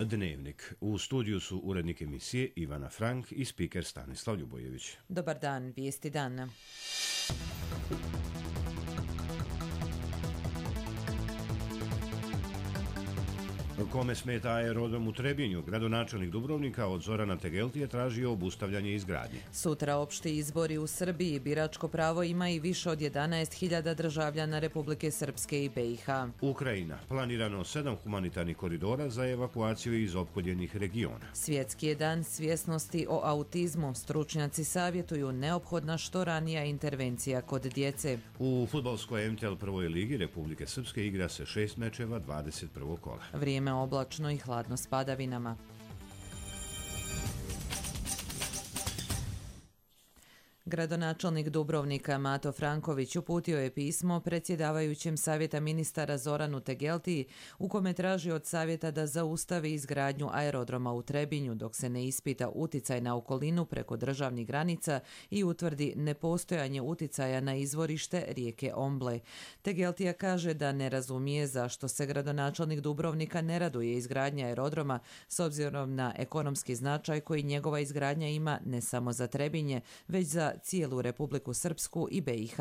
Dnevnik. U studiju su urednik emisije Ivana Frank i spiker Stanislav Ljubojević. Dobar dan, vijesti dana. Kome smeta aerodrom u Trebinju, gradonačelnik Dubrovnika od Zorana Tegeltije tražio obustavljanje izgradnje. Sutra opšti izbori u Srbiji. Biračko pravo ima i više od 11.000 državljana Republike Srpske i BiH. Ukrajina. Planirano 7 humanitarnih koridora za evakuaciju iz opkoljenih regiona. Svjetski je dan svjesnosti o autizmu. Stručnjaci savjetuju neophodna što ranija intervencija kod djece. U fudbalskoj MTL prvoj ligi Republike Srpske igra se 6 mečeva 21. kola. Vrijeme oblačno i hladno s padavinama. Gradonačelnik Dubrovnika Mato Franković uputio je pismo predsjedavajućem Savjeta ministara Zoranu Tegeltiji u kome traži od Savjeta da zaustavi izgradnju aerodroma u Trebinju dok se ne ispita uticaj na okolinu preko državnih granica i utvrdi nepostojanje uticaja na izvorište rijeke Omble. Tegeltija kaže da ne razumije zašto se gradonačelnik Dubrovnika ne raduje izgradnja aerodroma s obzirom na ekonomski značaj koji njegova izgradnja ima ne samo za Trebinje, već za cijelu Republiku Srpsku i BiH.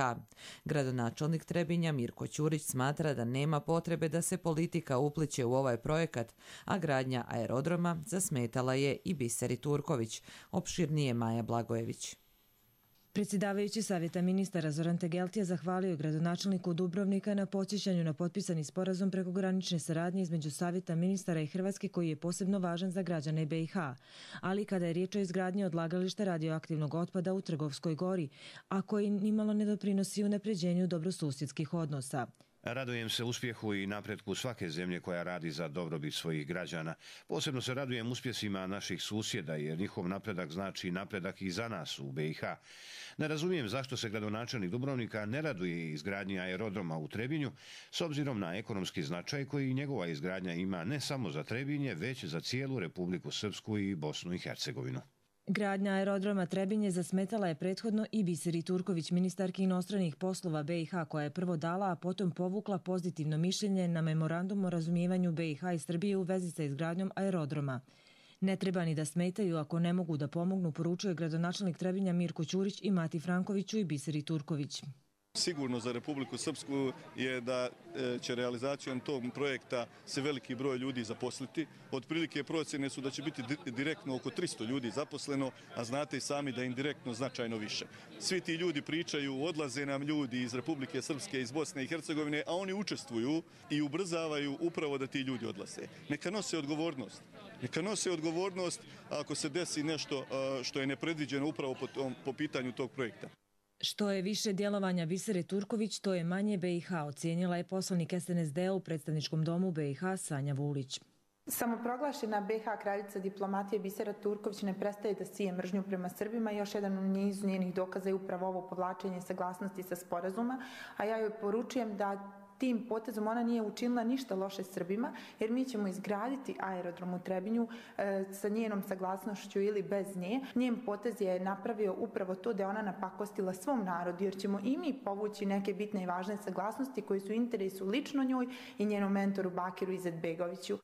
Gradonačelnik Trebinja Mirko Ćurić smatra da nema potrebe da se politika upliće u ovaj projekat, a gradnja aerodroma zasmetala je i Biseri Turković, opširnije Maja Blagojević. Predsjedavajući Savjeta ministara Zoran Tegeltija zahvalio je gradonačelniku Dubrovnika na podsjećanju na potpisani sporazum prekogranične saradnje između Savjeta ministara i Hrvatske koji je posebno važan za građane BiH, ali kada je riječ o izgradnji odlagališta radioaktivnog otpada u Trgovskoj gori, a koji nimalo ne doprinosi unapređenju dobrosusjedskih odnosa. Radujem se uspjehu i napretku svake zemlje koja radi za dobrobit svojih građana. Posebno se radujem uspjesima naših susjeda jer njihov napredak znači napredak i za nas u BiH. Ne razumijem zašto se gradonačelnik Dubrovnika ne raduje izgradnji aerodroma u Trebinju s obzirom na ekonomski značaj koji njegova izgradnja ima ne samo za Trebinje, već za cijelu Republiku Srpsku i Bosnu i Hercegovinu. Gradnja aerodroma Trebinje zasmetala je prethodno i Biseri Turković, ministarki inostranih poslova BiH, koja je prvo dala, a potom povukla pozitivno mišljenje na memorandum o razumijevanju BiH i Srbije u vezi sa izgradnjom aerodroma. Ne treba ni da smetaju ako ne mogu da pomognu, poručuje gradonačelnik Trebinja Mirko Ćurić i Mati Frankoviću i Biseri Turković. Sigurno za Republiku Srpsku je da će realizacijom tog projekta se veliki broj ljudi zaposliti. Otprilike procjene su da će biti direktno oko 300 ljudi zaposleno, a znate i sami da je indirektno značajno više. Svi ti ljudi pričaju, odlaze nam ljudi iz Republike Srpske, iz Bosne i Hercegovine, a oni učestvuju i ubrzavaju upravo da ti ljudi odlaze. Neka nose odgovornost. Neka nose odgovornost ako se desi nešto što je nepredviđeno upravo po pitanju tog projekta. Što je više djelovanja Bisere Turković, to je manje BiH, ocijenila je poslanik SNSD-a u predstavničkom domu BiH Sanja Vulić. Samoproglašena BiH kraljica diplomatije Bisera Turković ne prestaje da sije mržnju prema Srbima. Još jedan u nizu njenih dokaza je upravo ovo povlačenje saglasnosti sa sporazuma, a ja joj poručujem da tim potezom ona nije učinila ništa loše Srbima, jer mi ćemo izgraditi aerodrom u Trebinju sa njenom saglasnošću ili bez nje. Njen potez je napravio upravo to da je ona napakostila svom narodu, jer ćemo i mi povući neke bitne i važne saglasnosti koji su u interesu lično njoj i njenom mentoru Bakiru Izetbegoviću.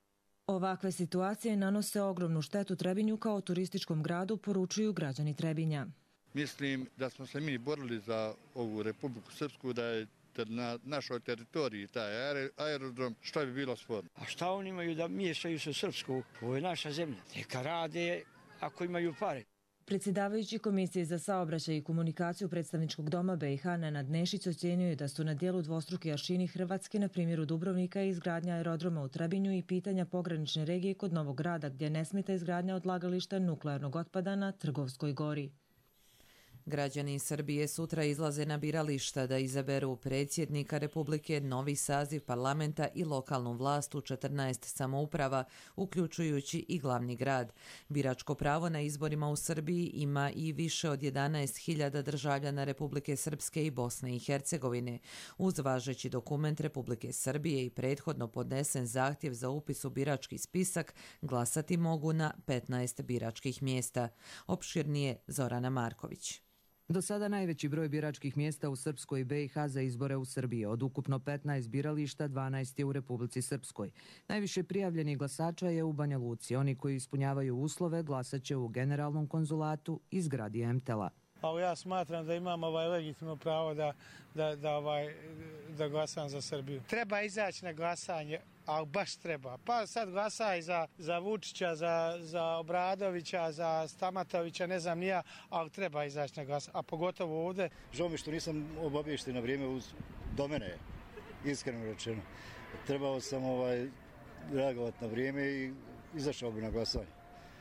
Ovakve situacije nanose ogromnu štetu Trebinju kao turističkom gradu, poručuju građani Trebinja. Mislim da smo se mi borili za ovu Republiku Srpsku, da je na našoj teritoriji taj aerodrom, što bi bilo sporno. A šta oni imaju da miješaju se u Srpsku? Ovo je naša zemlja. Neka rade ako imaju pare. Predsjedavajući Komisije za saobraćaj i komunikaciju predstavničkog doma BiH Nenad Nešić ocjenjuje da su na dijelu dvostruki aršini Hrvatske, na primjeru Dubrovnika i izgradnja aerodroma u Trebinju i pitanja pogranične regije kod Novog Grada, gdje ne smeta izgradnja odlagališta nuklearnog otpada na Trgovskoj gori. Građani Srbije sutra izlaze na birališta da izaberu predsjednika Republike, novi saziv parlamenta i lokalnu vlast u 14 samouprava, uključujući i glavni grad. Biračko pravo na izborima u Srbiji ima i više od 11.000 državljana Republike Srpske i Bosne i Hercegovine. Uz važeći dokument Republike Srbije i prethodno podnesen zahtjev za upis u birački spisak, glasati mogu na 15 biračkih mjesta. Opširnije Zorana Marković. Do sada najveći broj biračkih mjesta u Srpskoj i BiH za izbore u Srbiji. Od ukupno 15 birališta, 12 je u Republici Srpskoj. Najviše prijavljenih glasača je u Banja Luci. Oni koji ispunjavaju uslove glasaće u Generalnom konzulatu i zgradi MTEL-a. Ja smatram da imam legitimno pravo da glasam za Srbiju. Treba izaći na glasanje, ali baš treba. Pa sad glasaj za Vučića, za Obradovića, za Stamatovića, ne znam nija, ali treba izaći na glasanje, a pogotovo ovdje. Žao mi što nisam obaviješten na vrijeme do mene, iskreno rečeno. Trebao sam reagovati na vrijeme i izašao bi na glasanje,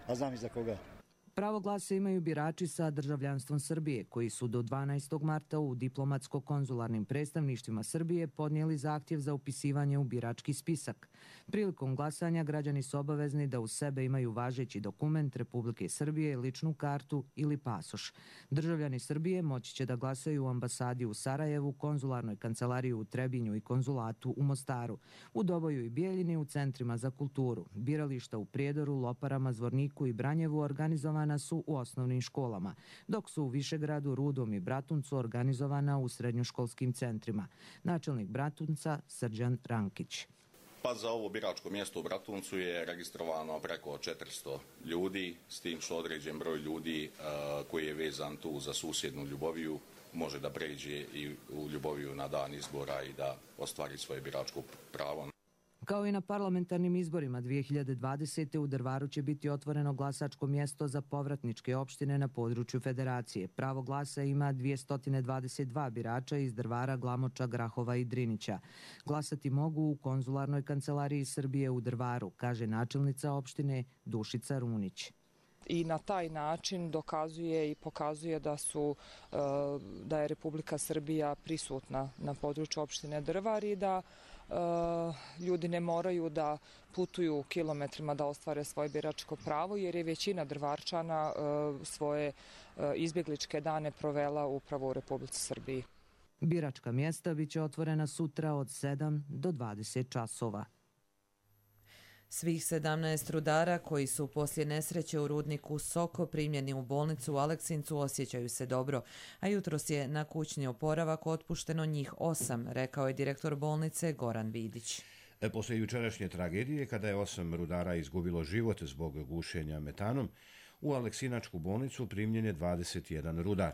a znam i za koga. Pravo glasa imaju birači sa državljanstvom Srbije, koji su do 12. marta u diplomatsko-konzularnim predstavništvima Srbije podnijeli zahtjev za upisivanje u birački spisak. Prilikom glasanja građani su obavezni da uz sebe imaju važeći dokument Republike Srbije, ličnu kartu ili pasoš. Državljani Srbije moći će da glasaju u ambasadi u Sarajevu, konzularnoj kancelariji u Trebinju i konzulatu u Mostaru, u Doboju i Bijeljini u centrima za kulturu. Birališta u Prijedoru, Loparama, Zvorniku i Branjevu organizovana su u osnovnim školama, dok su u Višegradu, Rudom i Bratuncu organizovana u srednjoškolskim centrima. Načelnik Bratunca Srđan Rankić. Pa za ovo biračko mjesto u Bratuncu je registrovano preko 400 ljudi, s tim što određen broj ljudi koji je vezan tu za susjednu Ljuboviju može da pređe i u Ljuboviju na dan izbora i da ostvari svoje biračko pravo. Kao i na parlamentarnim izborima 2020. u Drvaru će biti otvoreno glasačko mjesto za povratničke opštine na području Federacije. Pravo glasa ima 222 birača iz Drvara, Glamoča, Grahova i Drinića. Glasati mogu u konzularnoj kancelariji Srbije u Drvaru, kaže načelnica opštine Dušica Runić. I na taj način dokazuje i pokazuje da je Republika Srbija prisutna na području opštine Drvar i da ljudi ne moraju da putuju kilometrima da ostvare svoje biračko pravo, jer je većina Drvarčana svoje izbjegličke dane provela upravo u Republici Srbiji. Biračka mjesta biće otvorena sutra od 7 do 20 časova. Svih 17 rudara koji su poslije nesreće u rudniku Soko primljeni u bolnicu u Aleksincu osjećaju se dobro, a jutros je na kućni oporavak otpušteno njih 8, rekao je direktor bolnice Goran Vidić. Poslije jučerašnje tragedije, kada je 8 rudara izgubilo život zbog gušenja metanom, u Aleksinačku bolnicu primljen je 21 rudar.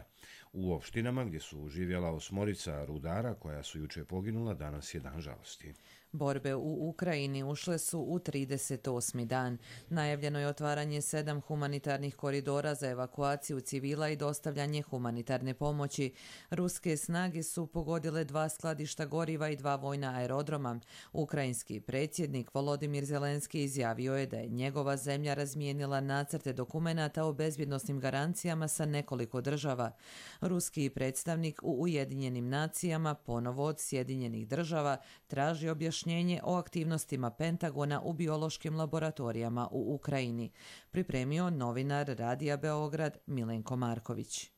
U opštinama gdje su živjela 8 rudara koja su juče poginula, danas je dan žalosti. Borbe u Ukrajini ušle su u 38. dan. Najavljeno je otvaranje 7 humanitarnih koridora za evakuaciju civila i dostavljanje humanitarne pomoći. Ruske snage su pogodile 2 skladišta goriva i 2 vojna aerodroma. Ukrajinski predsjednik Volodimir Zelenski izjavio je da je njegova zemlja razmijenila nacrte dokumenata o bezbjednosnim garancijama sa nekoliko država. Ruski predstavnik u Ujedinjenim nacijama ponovo od Sjedinjenih država traži objašnjenje o aktivnostima Pentagona u biološkim laboratorijama u Ukrajini, pripremio novinar Radija Beograd Milenko Marković.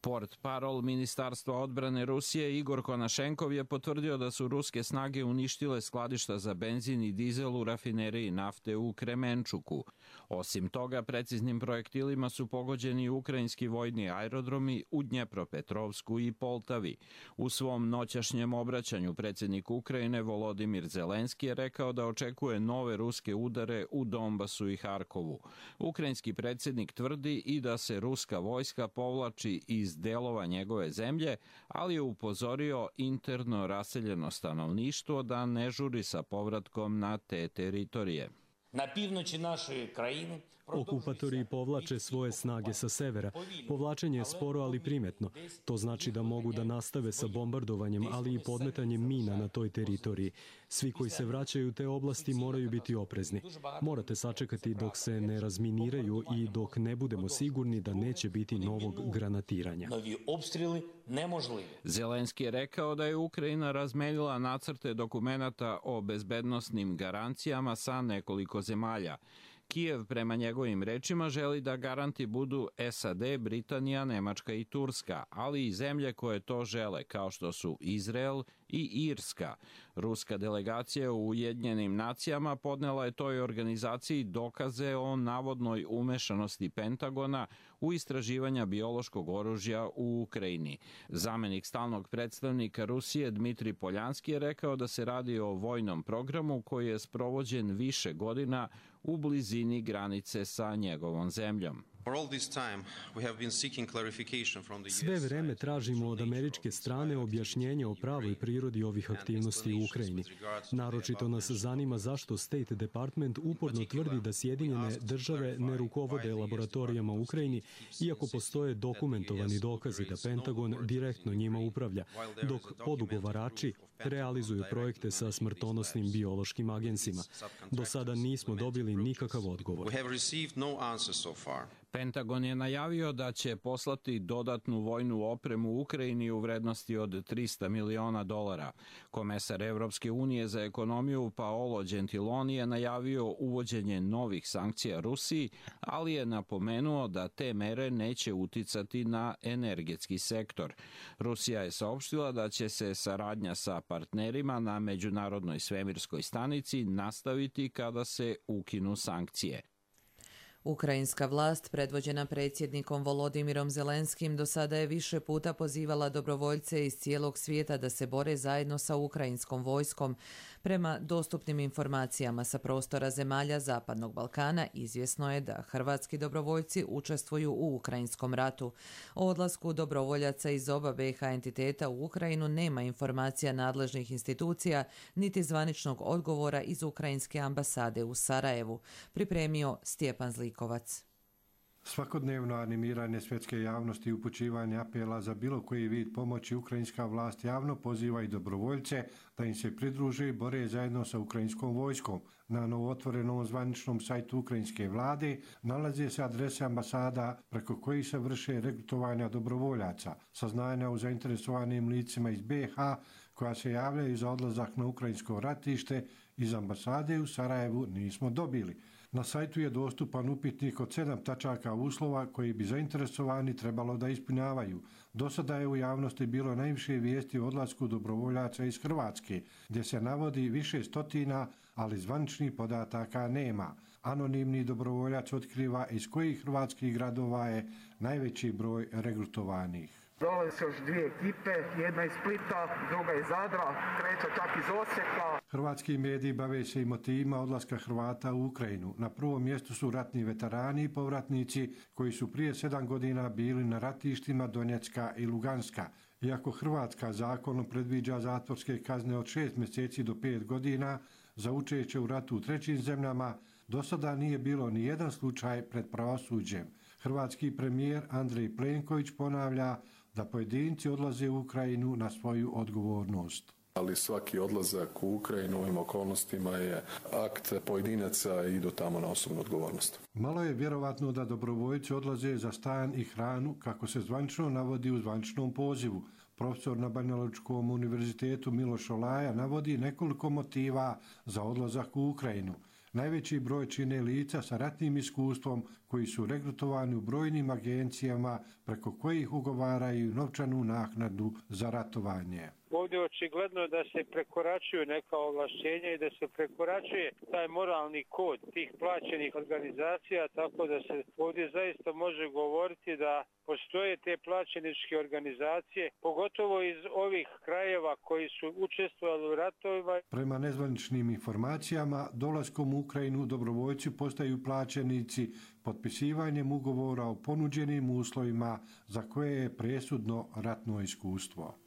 Portparol Ministarstva odbrane Rusije Igor Konašenkov je potvrdio da su ruske snage uništile skladišta za benzin i dizel u rafineriji nafte u Kremenčuku. Osim toga, preciznim projektilima su pogođeni ukrajinski vojni aerodromi u Dnjepropetrovsku i Poltavi. U svom noćašnjem obraćanju predsjednik Ukrajine Volodimir Zelenski je rekao da očekuje nove ruske udare u Donbasu i Harkovu. Ukrajinski predsjednik tvrdi i da se ruska vojska povlači iz delova njegove zemlje, ali je upozorio interno raseljeno stanovništvo da ne žuri sa povratkom na te teritorije. Na pivnoći naše krajine okupatori povlače svoje snage sa severa. Povlačenje je sporo, ali primetno. To znači da mogu da nastave sa bombardovanjem, ali i podmetanjem mina na toj teritoriji. Svi koji se vraćaju u te oblasti moraju biti oprezni. Morate sačekati dok se ne razminiraju i dok ne budemo sigurni da neće biti novog granatiranja. Novi opstreli nemožljivi. Zelenski je rekao da je Ukrajina razmenila nacrte dokumenata o bezbednosnim garancijama sa nekoliko zemalja. Kijev, prema njegovim rečima, želi da garanti budu SAD, Britanija, Nemačka i Turska, ali i zemlje koje to žele, kao što su Izrael i Irska. Ruska delegacija u Ujedinjenim nacijama podnela je toj organizaciji dokaze o navodnoj umešanosti Pentagona u istraživanja biološkog oružja u Ukrajini. Zamenik stalnog predstavnika Rusije Dmitri Poljanski je rekao da se radi o vojnom programu koji je sprovođen više godina u blizini granice sa njegovom zemljom. Sve vreme tražimo od američke strane objašnjenje o pravoj prirodi ovih aktivnosti u Ukrajini. Naročito nas zanima zašto State Department uporno tvrdi da Sjedinjene države ne rukovode laboratorijama u Ukrajini, iako postoje dokumentovani dokazi da Pentagon direktno njima upravlja, dok podugovarači realizuju projekte sa smrtonosnim biološkim agensima. Do sada nismo dobili nikakav odgovor. Pentagon je najavio da će poslati dodatnu vojnu opremu u Ukrajini u vrednosti od $300 miliona. Komesar Evropske unije za ekonomiju Paolo Gentiloni je najavio uvođenje novih sankcija Rusiji, ali je napomenuo da te mere neće uticati na energetski sektor. Rusija je saopštila da će se saradnja sa partnerima na Međunarodnoj svemirskoj stanici nastaviti kada se ukinu sankcije. Ukrajinska vlast, predvođena predsjednikom Volodimirom Zelenskim, do sada je više puta pozivala dobrovoljce iz cijelog svijeta da se bore zajedno sa ukrajinskom vojskom. Prema dostupnim informacijama sa prostora zemalja Zapadnog Balkana, izvjesno je da hrvatski dobrovoljci učestvuju u ukrajinskom ratu. O odlasku dobrovoljaca iz oba BiH entiteta u Ukrajinu nema informacija nadležnih institucija, niti zvaničnog odgovora iz ukrajinske ambasade u Sarajevu, pripremio Stjepan Zlikovac. Svakodnevno animiranje svjetske javnosti i upućivanje apela za bilo koji vid pomoći ukrajinska vlast javno poziva i dobrovoljce da im se pridruže i bore zajedno sa ukrajinskom vojskom. Na novootvorenom zvaničnom sajtu ukrajinske vlade nalaze se adrese ambasada preko kojih se vrše regrutovanja dobrovoljaca. Saznanja o zainteresovanim licima iz BiH koja se javljaju za odlazak na ukrajinsko ratište iz ambasade u Sarajevu nismo dobili. Na sajtu je dostupan upitnik od 7 tačaka uslova koji bi zainteresovani trebalo da ispunjavaju. Do sada je u javnosti bilo najviše vijesti o odlasku dobrovoljaca iz Hrvatske, gdje se navodi više stotina, ali zvaničnih podataka nema. Anonimni dobrovoljac otkriva iz kojih hrvatskih gradova je najveći broj regrutovanih. Dolaze još dvije ekipe, jedna iz Splita, druga iz Zadra, treća čak iz Osijeka. Hrvatski mediji bave se i motivima odlaska Hrvata u Ukrajinu. Na prvom mjestu su ratni veterani i povratnici koji su prije 7 godina bili na ratištima Donjecka i Luganska. Iako Hrvatska zakonom predviđa zatvorske kazne od 6 mjeseci do 5 godina za učešće u ratu u trećim zemljama, do sada nije bilo ni jedan slučaj pred pravosuđem. Hrvatski premijer Andrej Plenković ponavlja da pojedinci odlaze u Ukrajinu na svoju odgovornost. Ali svaki odlazak u Ukrajinu u ovim okolnostima je akt pojedinaca i idu tamo na osobnu odgovornost. Malo je vjerovatno da dobrovoljci odlaze za stan i hranu, kako se zvanično navodi u zvaničnom pozivu. Profesor na Banjalučkom univerzitetu Miloš Olaja navodi nekoliko motiva za odlazak u Ukrajinu. Najveći broj čine lica sa ratnim iskustvom koji su regrutovani u brojnim agencijama preko kojih ugovaraju novčanu naknadu za ratovanje. Ovdje je očigledno da se prekoračuju neka ovlašćenja i da se prekoračuje taj moralni kod tih plaćenih organizacija, tako da se ovdje zaista može govoriti da postoje te plaćeničke organizacije, pogotovo iz ovih krajeva koji su učestvovali u ratovima. Prema nezvaničnim informacijama, dolaskom u Ukrajinu dobrovoljci postaju plaćenici potpisivanjem ugovora o ponuđenim uslovima za koje je presudno ratno iskustvo.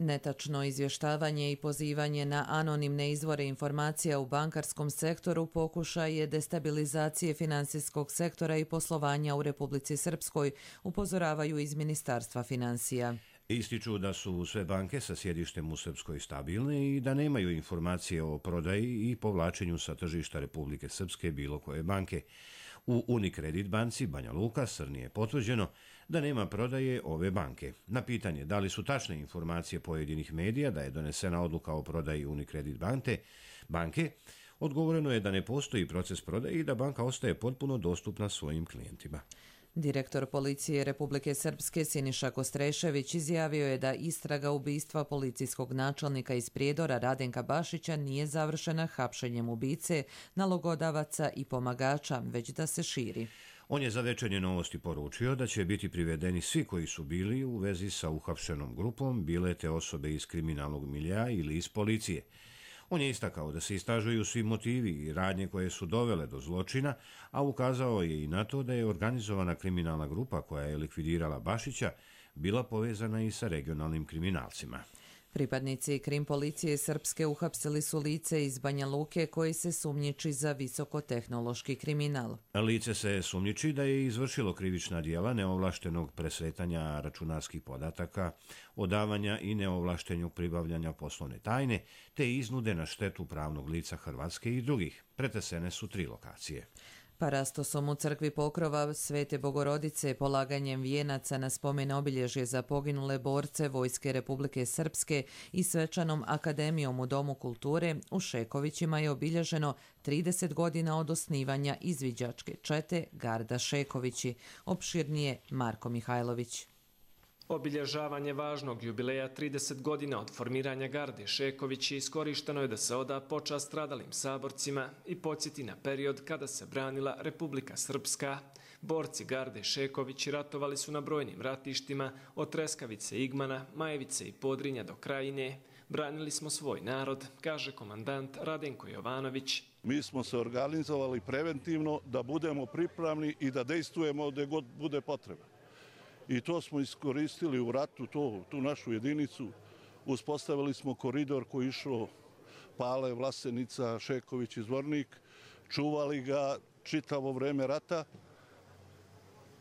Netačno izvještavanje i pozivanje na anonimne izvore informacija u bankarskom sektoru pokušaj je destabilizacije financijskog sektora i poslovanja u Republici Srpskoj, upozoravaju iz Ministarstva financija. Ističu da su sve banke sa sjedištem u Srpskoj stabilne i da nemaju informacije o prodaji i povlačenju sa tržišta Republike Srpske bilo koje banke. U Unicredit banci Banja Luka Srni je potvrđeno da nema prodaje ove banke. Na pitanje da li su tačne informacije pojedinih medija da je donesena odluka o prodaji Unicredit banke, odgovoreno je da ne postoji proces prodaje i da banka ostaje potpuno dostupna svojim klijentima. Direktor policije Republike Srpske Siniša Kostrešević izjavio je da istraga ubistva policijskog načelnika iz Prijedora Radenka Bašića nije završena hapšenjem ubice, nalogodavaca i pomagača, već da se širi. On je za Večernje novosti poručio da će biti privedeni svi koji su bili u vezi sa uhapšenom grupom, bile te osobe iz kriminalnog milja ili iz policije. On je istakao da se istražuju svi motivi i radnje koje su dovele do zločina, a ukazao je i na to da je organizovana kriminalna grupa koja je likvidirala Bašića bila povezana i sa regionalnim kriminalcima. Pripadnici krim policije Srpske uhapsili su lice iz Banja Luke koji se sumnjiči za visokotehnološki kriminal. Lice se sumnjiči da je izvršilo krivična djela neovlaštenog presretanja računarskih podataka, odavanja i neovlaštenog pribavljanja poslovne tajne, te iznude na štetu pravnog lica Hrvatske i drugih. Pretresene su 3 lokacije. Parastosom u crkvi Pokrova Svete Bogorodice, polaganjem vijenaca na spomen obilježje za poginule borce Vojske Republike Srpske i svečanom akademijom u Domu kulture u Šekovićima je obilježeno 30 godina od osnivanja izviđačke čete Garda Šekovići. Opširnije Marko Mihajlović. Obilježavanje važnog jubileja 30 godina od formiranja Garde Šekovići iskorišteno je da se oda počast stradalim saborcima i podsjeti na period kada se branila Republika Srpska. Borci Garde Šekovići ratovali su na brojnim ratištima od Treskavice, Igmana, Majevice i Podrinja do Krajine. Branili smo svoj narod, kaže komandant Radenko Jovanović. Mi smo se organizovali preventivno da budemo pripravni i da dejstvujemo gdje god bude potreba. I to smo iskoristili u ratu, tu našu jedinicu. Uspostavili smo koridor koji je išao Pale, Vlasenica, Šeković i Zvornik. Čuvali ga čitavo vreme rata.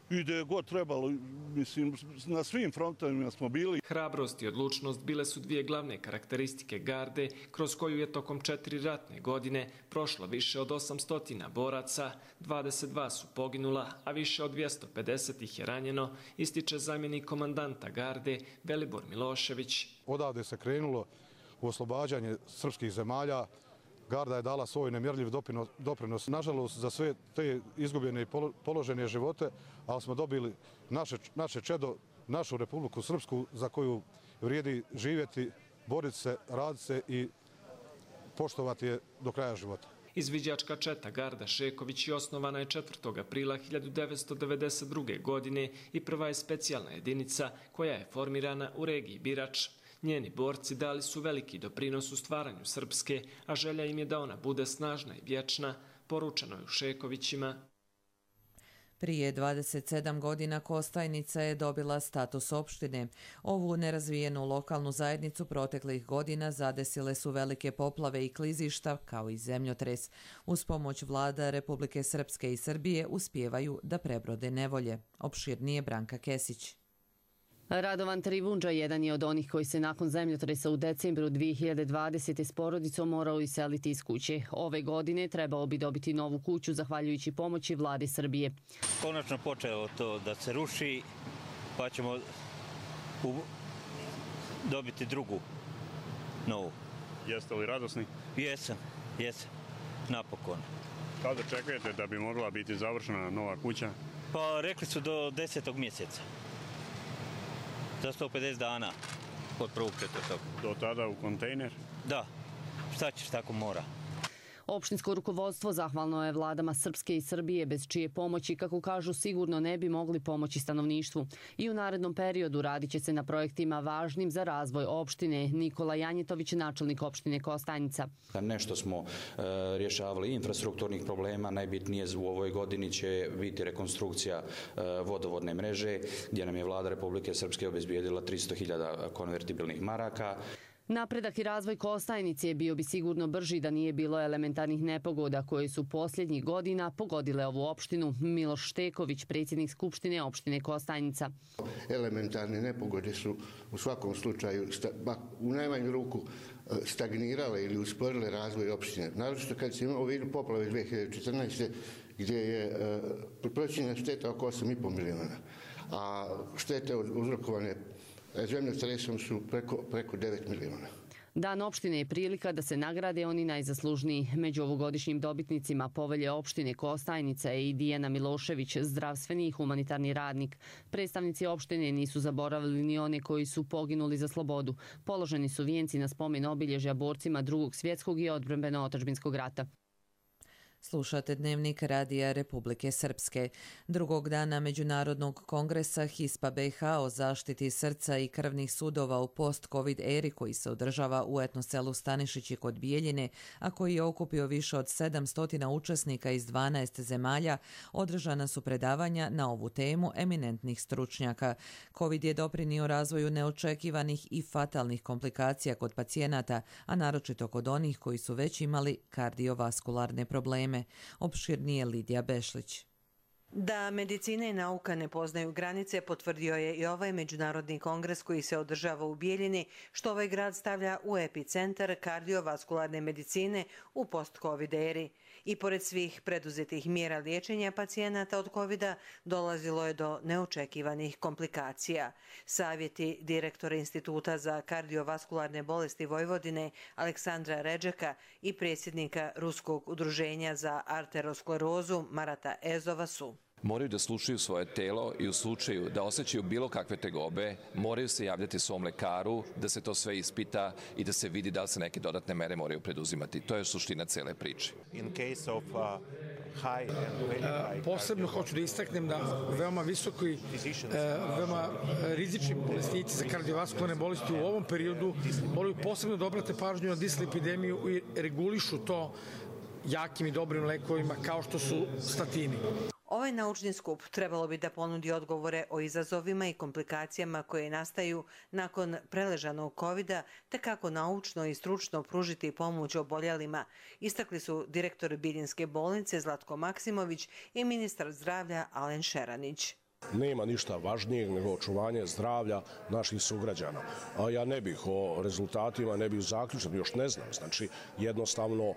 I gdje je god trebalo, mislim, na svim frontovima smo bili. Hrabrost i odlučnost bile su 2 glavne karakteristike Garde, kroz koju je tokom 4 ratne godine prošlo više od 800 boraca, 22 su poginula, a više od 250 ih je ranjeno, ističe zamjenik komandanta Garde Velibor Milošević. Odavde se krenulo u oslobađanje srpskih zemalja. Garda je dala svoj nemjerljiv doprinos, nažalost, za sve te izgubljene i položene živote, ali smo dobili naše čedo, našu Republiku Srpsku za koju vrijedi živjeti, boriti se, raditi se i poštovati je do kraja života. Izviđačka četa Garda Šeković osnovana je 4. aprila 1992. godine i prva je specijalna jedinica koja je formirana u regiji Birač. Njeni borci dali su veliki doprinos u stvaranju Srpske, a želja im je da ona bude snažna i vječna, poručeno je u Šekovićima. Prije 27 godina Kostajnica je dobila status opštine. Ovu nerazvijenu lokalnu zajednicu proteklih godina zadesile su velike poplave i klizišta, kao i zemljotres. Uz pomoć vlada Republike Srpske i Srbije uspijevaju da prebrode nevolje. Opširnije Branka Kesić. Radovan Trivundža jedan je od onih koji se nakon zemljotresa u decembru 2020. s porodicom morao iseliti iz kuće. Ove godine trebao bi dobiti novu kuću zahvaljujući pomoći vlade Srbije. Konačno počelo to da se ruši, pa ćemo dobiti drugu, novu. Jeste li radosni? Jesam, napokon. Kada očekujete da bi mogla biti završena nova kuća? Pa rekli su do 10. mjeseca. Za 150 dana od 1.4. Do tada u kontejner? Da, šta ćeš, tako mora. Opštinsko rukovodstvo zahvalno je vladama Srpske i Srbije, bez čije pomoći, kako kažu, sigurno ne bi mogli pomoći stanovništvu. I u narednom periodu radit će se na projektima važnim za razvoj opštine. Nikola Janjetović, načelnik opštine Kostajnica. Nešto smo rješavali infrastrukturnih problema. Najbitnije u ovoj godini će biti rekonstrukcija vodovodne mreže, gdje nam je vlada Republike Srpske obezbijedila 300.000 konvertibilnih maraka. Napredak i razvoj Kostajnice bio bi sigurno brži da nije bilo elementarnih nepogoda koje su posljednjih godina pogodile ovu opštinu. Miloš Šteković, predsjednik Skupštine opštine Kostajnica. Elementarne nepogode su u svakom slučaju u najmanju ruku stagnirale ili usporile razvoj opštine. Naročito kad se imao u vidu poplave 2014. gdje je procjenjena šteta oko 8,5 miliona, a štete uzrokovane zemljotresom su preko 9 miliona. Dan opštine je prilika da se nagrade oni najzaslužniji. Među ovogodišnjim dobitnicima povelje opštine Kostajnica je i Dijana Milošević, zdravstveni i humanitarni radnik. Predstavnici opštine nisu zaboravili ni one koji su poginuli za slobodu. Položeni su vijenci na spomen obilježja borcima Drugog svjetskog i odbrambeno-otadžbinskog rata. Slušate Dnevnik Radija Republike Srpske. Drugog dana Međunarodnog kongresa HISPA BiH o zaštiti srca i krvnih sudova u post-covid eri koji se održava u etnoselu Stanišići kod Bijeljine, a koji je okupio više od 700 učesnika iz 12 zemalja, održana su predavanja na ovu temu eminentnih stručnjaka. Covid je doprinio razvoju neočekivanih i fatalnih komplikacija kod pacijenata, a naročito kod onih koji su već imali kardiovaskularne probleme. Opširnije Lidija Bešlić. Da medicina i nauka ne poznaju granice potvrdio je i ovaj međunarodni kongres koji se održava u Bijeljini, što ovaj grad stavlja u epicentar kardiovaskularne medicine u post-covid eri. I pored svih preduzetih mjera liječenja pacijenata od covida dolazilo je do neočekivanih komplikacija. Savjeti direktora Instituta za kardiovaskularne bolesti Vojvodine Aleksandra Redžeka i predsjednika Ruskog udruženja za arterosklerozu Marata Ezova su: moraju da slušaju svoje telo i u slučaju da osjećaju bilo kakve tegobe, moraju se javljati svom lekaru, da se to sve ispita i da se vidi da li se neke dodatne mere moraju preduzimati. To je suština cele priče. Posebno hoću da istaknem da veoma visoki, veoma rizični bolesnici za kardiovaskularne bolesti u ovom periodu moraju posebno da obrate pažnju na dislipidemiju i regulišu to jakim i dobrim lekovima kao što su statini. Ovaj naučni skup trebalo bi da ponudi odgovore o izazovima i komplikacijama koje nastaju nakon preležanog covida, te kako naučno i stručno pružiti pomoć oboljelima, istakli su direktor Bijeljinske bolnice Zlatko Maksimović i ministar zdravlja Alen Šeranić. Nema ništa važnijeg nego očuvanje zdravlja naših sugrađana. A ja ne bih o rezultatima, ne bih zaključan, još ne znam. Znači, jednostavno,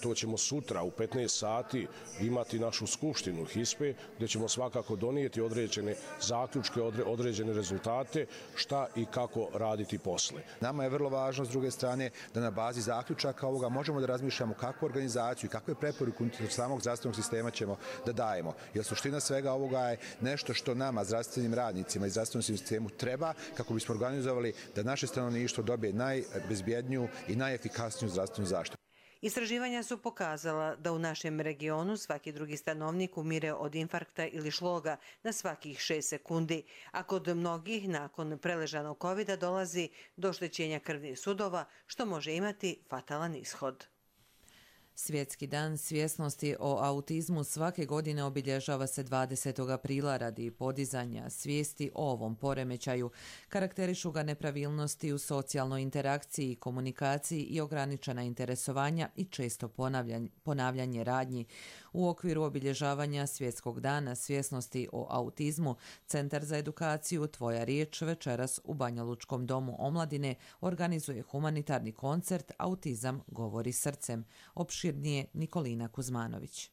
to ćemo sutra u 15 sati imati našu skupštinu HISPE, gdje ćemo svakako donijeti određene zaključke, određene rezultate, šta i kako raditi posle. Nama je vrlo važno, s druge strane, da na bazi zaključaka ovoga možemo da razmišljamo kakvu organizaciju i kakve preporuke unutar samog zdravstvenog sistema ćemo da dajemo. Jer suština svega ovoga je nešto što nama, zdravstvenim radnicima i zdravstvenom sistemu treba kako bismo organizovali da naše stanovništvo dobije najbezbjedniju i najefikasniju zdravstvenu zaštitu. Istraživanja su pokazala da u našem regionu svaki drugi stanovnik umire od infarkta ili šloga na svakih 6 sekundi, a kod mnogih nakon preležanog covida dolazi do oštećenja krvnih sudova, što može imati fatalan ishod. Svjetski dan svjesnosti o autizmu svake godine obilježava se 20. aprila radi podizanja svijesti o ovom poremećaju. Karakterišu ga nepravilnosti u socijalnoj interakciji, komunikaciji i ograničena interesovanja i često ponavljanje radnji. U okviru obilježavanja Svjetskog dana svjesnosti o autizmu, Centar za edukaciju Tvoja riječ večeras u Banjalučkom domu omladine organizuje humanitarni koncert Autizam govori srcem. Opširnije Nikolina Kuzmanović.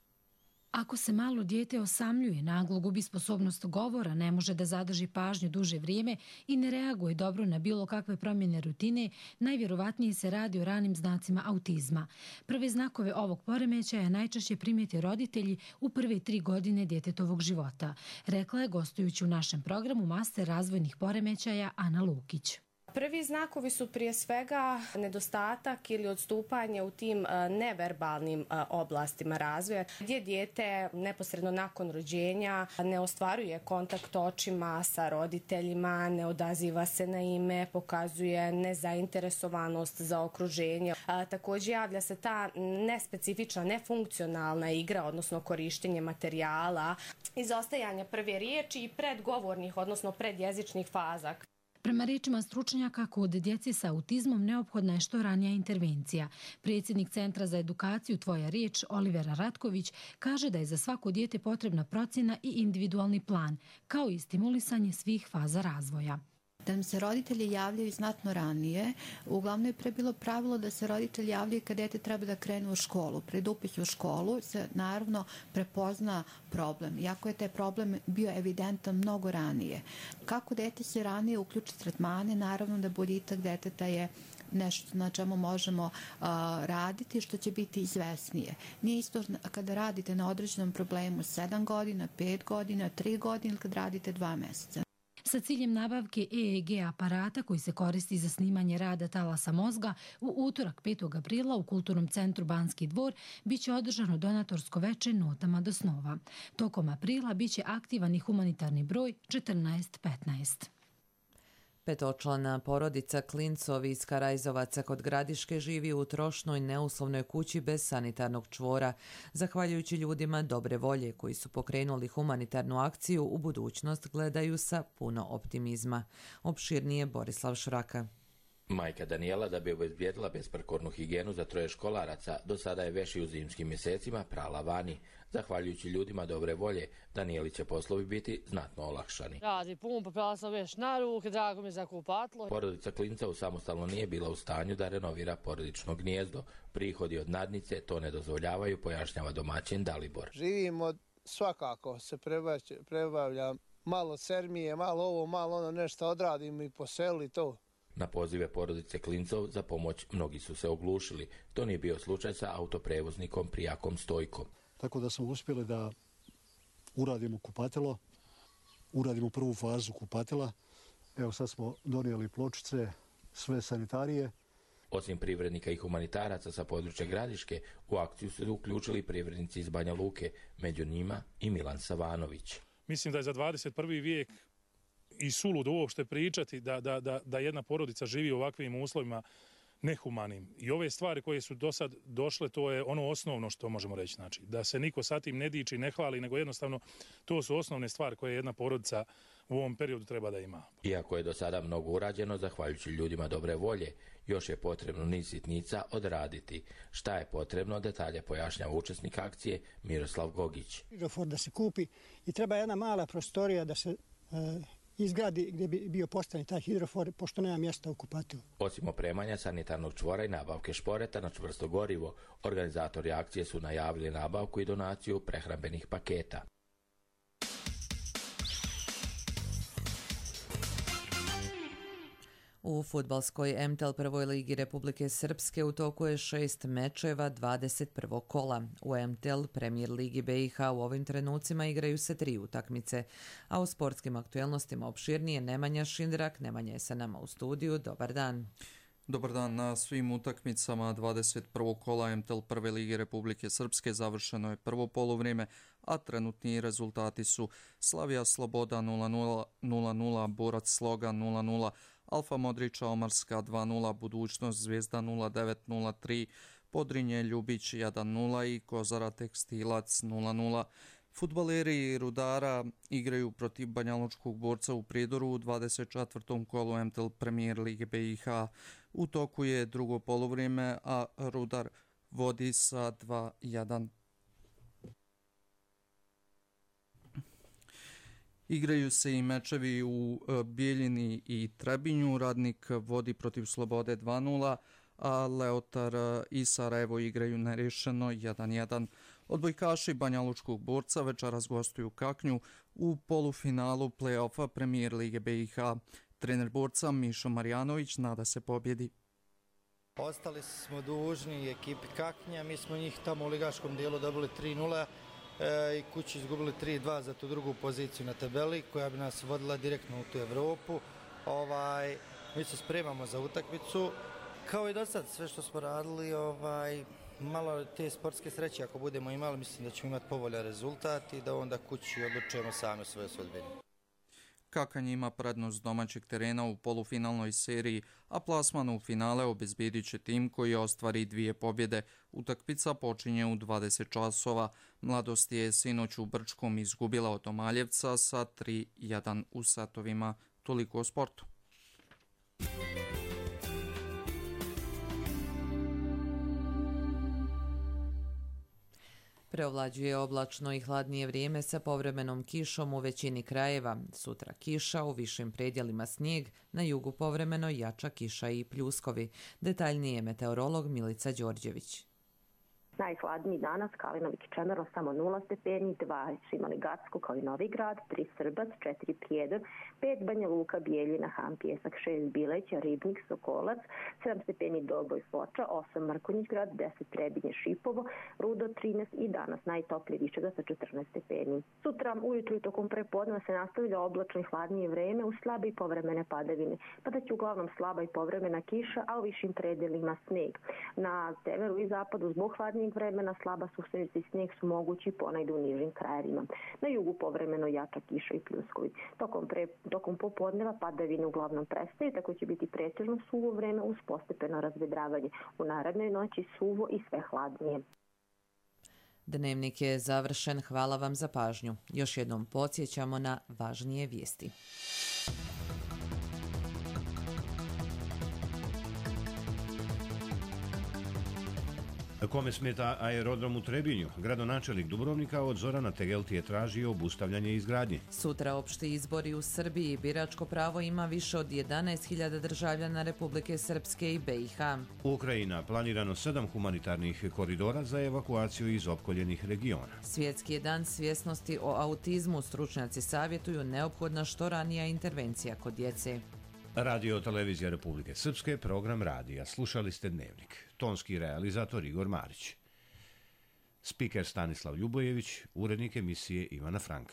Ako se malo dijete osamljuje, naglo gubi sposobnost govora, ne može da zadrži pažnju duže vrijeme i ne reaguje dobro na bilo kakve promjene rutine, najvjerovatnije se radi o ranim znacima autizma. Prve znakove ovog poremećaja najčešće primijete roditelji u prve 3 godine djetetovog života, rekla je gostujući u našem programu master razvojnih poremećaja Ana Lukić. Prvi znakovi su prije svega nedostatak ili odstupanje u tim neverbalnim oblastima razvoja, gdje dijete neposredno nakon rođenja ne ostvaruje kontakt očima sa roditeljima, ne odaziva se na ime, pokazuje nezainteresovanost za okruženje. Također javlja se ta nespecifična, nefunkcionalna igra, odnosno korištenje materijala, izostajanje prve riječi i predgovornih, odnosno predjezičnih faza. Prema rečima stručnjaka, kod djece sa autizmom neophodna je što ranija intervencija. Predsjednik Centra za edukaciju Tvoja riječ, Olivera Ratković, kaže da je za svako dijete potrebna procjena i individualni plan, kao i stimulisanje svih faza razvoja. da nam se roditelji javljaju znatno ranije. Uglavnom je pre bilo pravilo da se roditelji javljaju kad dete treba da krenu u školu. Pred upis u školu se naravno prepozna problem, iako je taj problem bio evidentan mnogo ranije. Kako dete se ranije uključi tretmane, naravno da boljitak deteta je nešto na čemu možemo raditi, što će biti izvesnije. Nije isto kada radite na određenom problemu 7 godina, 5 godina, 3 godine ili kad radite 2 meseca. Sa ciljem nabavke EEG aparata koji se koristi za snimanje rada talasa mozga, u utorak 5. aprila u Kulturnom centru Banski dvor biće održano donatorsko veče notama do snova. Tokom aprila biće aktivan i humanitarni broj 1415. Petočlana porodica Klincovi iz Karajzovaca kod Gradiške živi u trošnoj neuslovnoj kući bez sanitarnog čvora. Zahvaljujući ljudima dobre volje koji su pokrenuli humanitarnu akciju, u budućnost gledaju sa puno optimizma. Opširnije Borislav Šraka. Majka Danijela, da bi obezbijedila besprekornu higijenu za 3 školaraca, do sada je veš i u zimskim mjesecima prala vani. Zahvaljujući ljudima dobre volje, Danijeli će poslovi biti znatno olakšani. Radi pumpa, prala sam veš na ruke, drago mi za kupatlo. Porodica Klinca samostalno nije bila u stanju da renovira porodično gnijezdo. Prihodi od nadnice to ne dozvoljavaju, pojašnjava domaćin Dalibor. Živimo svakako, se prebavlja malo sermije, malo ovo, malo ono, nešto odradim i po selu i to. Na pozive porodice Klincov za pomoć mnogi su se oglušili. To nije bio slučaj sa autoprevoznikom Prijakom Stojkom. Tako da smo uspjeli da uradimo kupatilo, uradimo prvu fazu kupatila. Evo sad smo donijeli pločice, sve sanitarije. Osim privrednika i humanitaraca sa područja Gradiške, u akciju su uključili privrednici iz Banja Luke, među njima i Milan Savanović. Mislim da je za 21. vijek i suludo uopšte pričati da jedna porodica živi u ovakvim uslovima nehumanim. I ove stvari koje su do sad došle, to je ono osnovno što možemo reći. Znači, da se niko sa tim ne diči, ne hvali, nego jednostavno to su osnovne stvari koje jedna porodica u ovom periodu treba da ima. Iako je do sada mnogo urađeno, zahvaljujući ljudima dobre volje, još je potrebno niz sitnica odraditi. Šta je potrebno, detalje pojašnjava učesnik akcije Miroslav Gogić. Hidrofor da se kupi i treba jedna mala prostorija da se izgradi gdje bi bio postavljen taj hidrofor, pošto nema mjesta u kupatilu. Osim opremanja sanitarnog čvora i nabavke šporeta na čvrsto gorivo, organizatori akcije su najavili nabavku i donaciju prehrambenih paketa. U fudbalskoj MTEL prvoj ligi Republike Srpske u toku je 6 mečeva 21. kola. U MTEL Premier ligi BiH u ovim trenucima igraju se 3 utakmice, a u sportskim aktuelnostima opširnije Nemanja Šindrak. Nemanja je sa nama u studiju. Dobar dan. Dobar dan. Na svim utakmicama 21. kola MTEL prve lige Republike Srpske završeno je prvo poluvrijeme, a trenutni rezultati su Slavija Sloboda 0-0, 0-0, Borac Sloga 0-0, Alfa Modrića Omarska 2-0, Budućnost Zvijezda 0-9-0-3, Podrinje Ljubić 1-0 i Kozara Tekstilac 0-0. Fudbaleri Rudara igraju protiv Banjalučkog Borca u Prijedoru u 24. kolu MTEL Premier lige BiH. U toku je drugo poluvrijeme, a Rudar vodi sa 2-1. Igraju se i mečevi u Bijeljini i Trebinju. Radnik vodi protiv Slobode 2-0, a Leotar i Sarajevo igraju nerješeno 1-1. Odbojkaši Banjalučkog Borca večeras gostuju Kaknju u polufinalu play-offa Premier lige BiH. Trener Borca Mišo Marjanović nada se pobjedi. Ostali smo dužni ekipi Kaknja, mi smo njih tamo u ligaškom dijelu dobili 3-0 i kući izgubili 3-2 za tu drugu poziciju na tabeli koja bi nas vodila direktno u tu Evropu. Mi se spremamo za utakmicu. Kao i do sad, sve što smo radili, malo te sportske sreće ako budemo imali, mislim da ćemo imati povoljan rezultat i da onda kući odlučujemo sami svoje sudbine. Kakanj ima prednost domaćeg terena u polufinalnoj seriji, a plasman u finale obezbjedit će tim koji ostvari 2 pobjede. Utakmica počinje u 20 časova. Mladost je sinoć u Brčkom izgubila od Omaljevca sa 3-1 u satovima. Toliko o sportu. Preovlađuje oblačno i hladnije vrijeme sa povremenom kišom u većini krajeva. Sutra kiša, u višim predjelima snijeg, na jugu povremeno jača kiša i pljuskovi. Detaljnije meteorolog Milica Đorđević. Najhladniji danas Kalinovik i Čemerlo samo 0 stepeni, 2 su imali Gacko kao i Novi Grad, 3 Srbac, 4 Prijedor, 5 Banja Luka, Bijeljina, Han, Pjesak, 6 Bileća, Ribnik, Sokolac, 7 stepeni Doboj, Foča, 8 Mrkonjić Grad, 10 Trebinje, Šipovo, Rudo 13 i danas najtoplije Višega sa 14 stepeni. Sutra ujutru i tokom prepodneva se nastavlja oblačno i hladnije vreme uz slabe i povremene padavine. Padaće uglavnom slaba i povremena kiša, a u višim predelima sneg. Na severu i zapadu zbog hladnije vremena slaba susreća i snijeg su mogući ponajdu u nižim krajevima. Na jugu povremeno jača kiša i pljuskovi. Tokom popodneva padavine uglavnom prestaju, tako će biti pretežno suvo vreme uz postepeno razvedravanje. U narednoj noći suvo i sve hladnije. Dnevnik je završen. Hvala vam za pažnju. Još jednom podsjećamo na važnije vijesti. Kome smeta aerodrom u Trebinju? Gradonačelnik Dubrovnika od Zorana Tegelti je tražio obustavljanje izgradnje. Sutra opšti izbori u Srbiji. Biračko pravo ima više od 11.000 državljana Republike Srpske i BiH. Ukrajina planirano 7 humanitarnih koridora za evakuaciju iz opkoljenih regiona. Svjetski je dan svjesnosti o autizmu. Stručnjaci savjetuju neophodna što ranija intervencija kod djece. Radio Televizija Republike Srpske, program radija. Slušali ste Dnevnik. Tonski realizator Igor Marić. Spiker Stanislav Ljubojević, urednik emisije Ivana Frank.